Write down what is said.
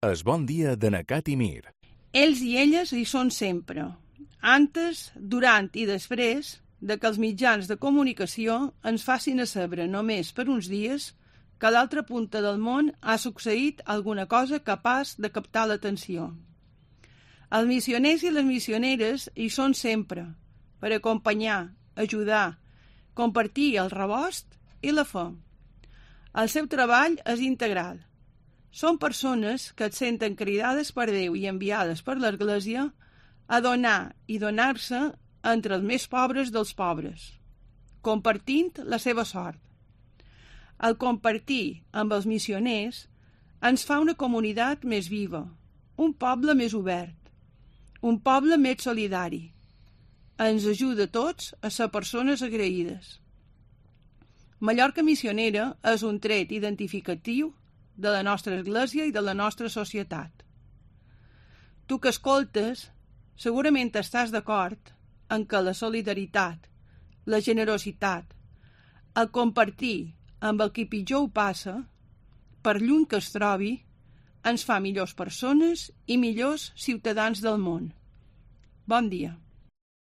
Es bon dia de Nacat i Mir. Ells i elles hi són sempre, antes, durant i després de que els mitjans de comunicació ens facin a saber només per uns dies que a l'altra punta del món ha succeït alguna cosa capaç de captar l'atenció. Els missioners i les missioneres hi són sempre, per acompanyar, ajudar, compartir el rebost i la fe. El seu treball és integral. Són persones que et senten cridades per Déu i enviades per l'Església a donar i donar-se entre els més pobres dels pobres, compartint la seva sort. El compartir amb els missioners ens fa una comunitat més viva, un poble més obert, un poble més solidari. Ens ajuda a tots a ser persones agraïdes. Mallorca missionera és un tret identificatiu de la nostra església i de la nostra societat. Tu que escoltes, segurament estàs d'acord en que la solidaritat, la generositat, el compartir amb el qui pitjor ho passa, per lluny que es trobi, ens fa millors persones i millors ciutadans del món. Bon dia.